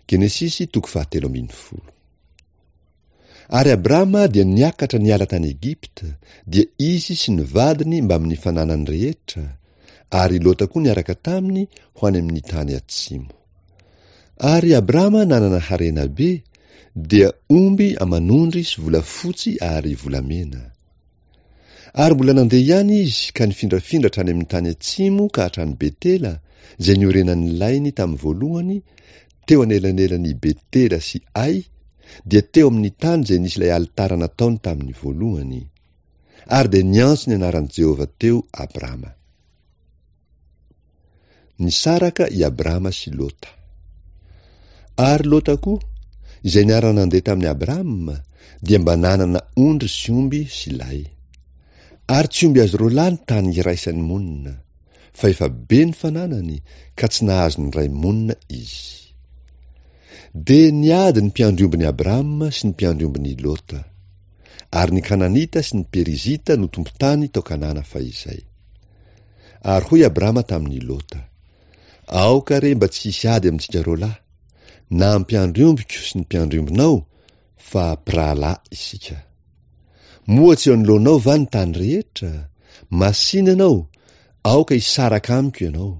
Genesisy toko fahatelo ambinifolo. Ary Abrama dia niakatra niala tany Egypta, dia izy sy ny vadiny mbamin'ny fananany rehetra, ary i Lota koa niaraka taminy ho any amin'ny tany atsimo. Ary Abrama nanana harena be, dia omby aman'ondry sy volafotsy ary volamena. Ary mbola nandeha ihany izy ka nifindrafindra hatrany amin'ny tany atsimo ka hatrany Betela, izay niorenan'ny lainy tamin'ny voalohany, teo anelanelan'i Betela sy Ay, dia teo amin'ny tany izay nisy ilay alitara nataony tamin'ny voalohany. Ary dia niantso ny anaran'i Jehovah teo Abrama. Nisaraka i Abrama sy Lota. Ary Lota koa, izay niara-nandeha tamin'i Abrama, dia mba nanana ondry sy omby sy lay. Ary tsy omby azy roalahy ny tany iraisany monina, fa efa be ny fananany, ka tsy nahazo niray monina izy. Dia niady ny mpiandry ombin'i Abrama sy ny mpiandry ombin'i Lota. Ary ny Kananita sy ny Perizita no tompon-tany tao Kanana fahizay. Ary hoy Abrama tamin'i Lota, Aoka re mba tsy hisy ady amintsika roalahy, na mpiandry ombiko sy ny mpiandry ombinao, fa mpirahalahy isika. Moa tsy eo anoloanao va ny tany rehetra? Masìna ianao, aoka hisaraka amiko ianao.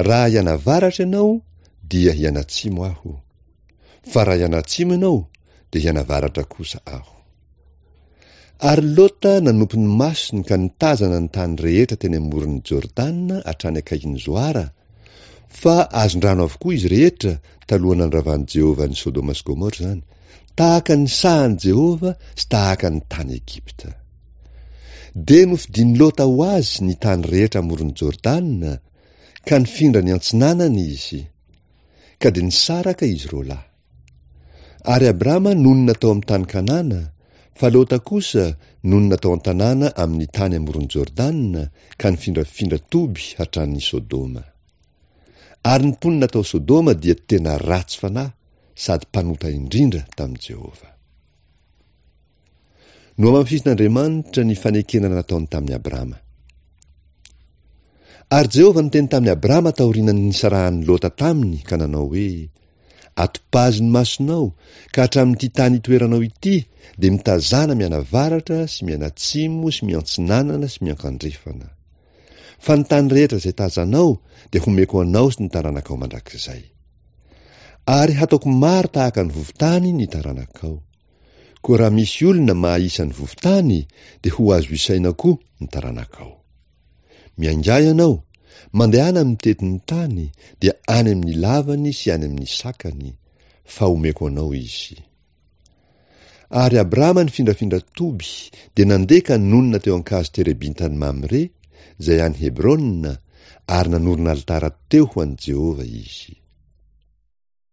Raha hianavaratra ianao, dia hianatsimo aho. Fa raha hianatsimo ianao, dia hianavaratra kosa aho. Ary Lota nanopy ny masony ka nitazana ny tany rehetra teny amoron'i Jordana hatrany akaikin'i Zoara, fa azon-drano avokoa izy rehetra talohan'ny nandravan'i Jehovah an'i Sodoma sy Gomora izany, tahaka ny sahan'i Jehovah sy tahaka ny tany Egypta. Dia nofidin'i Lota ho azy ny tany rehetra amoron'i Jordana, ka nifindra niantsinanana izy. Ka dia nisaraka izy roalahy. Ary Abrama nonina tao amin'ny tany Kanana, fa Lota kosa nonina tao an-tanàna amin'ny tany amoron'i Jordana ka nifindrafindra toby hatrany Sodoma. Ary ny mponina tao Sodoma dia tena ratsy fanahy sady mpanota indrindra tamin'i Jehovah. Nohamafisin'Andriamanitra ny fanekena nataony tamin'i Abrama. Ary Jehovah niteny tamin'i Abrama taorian'ny nisarahan'i Lota taminy ka nanao hoe, Atopazy ny masonao, ka hatramin'ity tany itoeranao ity dia mitazàna mianavaratra sy mianatsimo sy miantsinanana sy miankandrefana. Fa ny tany rehetra izay tazanao dia homeko anao sy ny taranakao mandrakizay. Ary hataoko maro tahaka ny vovo-tany ny taranakao. Koa raha misy olona mahaisa ny vovo-tany dia ho azo isaina koa ny taranakao. Miaingà ianao, mandehana mitety ny tany, dia any amin'ny lavany sy any amin'ny sakany, fa homeko anao izy. Ary Abrama nifindrafindra toby, dia nandeha ka nonina teo an-kazo terebintan'i Mamre, izay any Hebrona, ary nanorina alitara teo ho an'i Jehovah izy.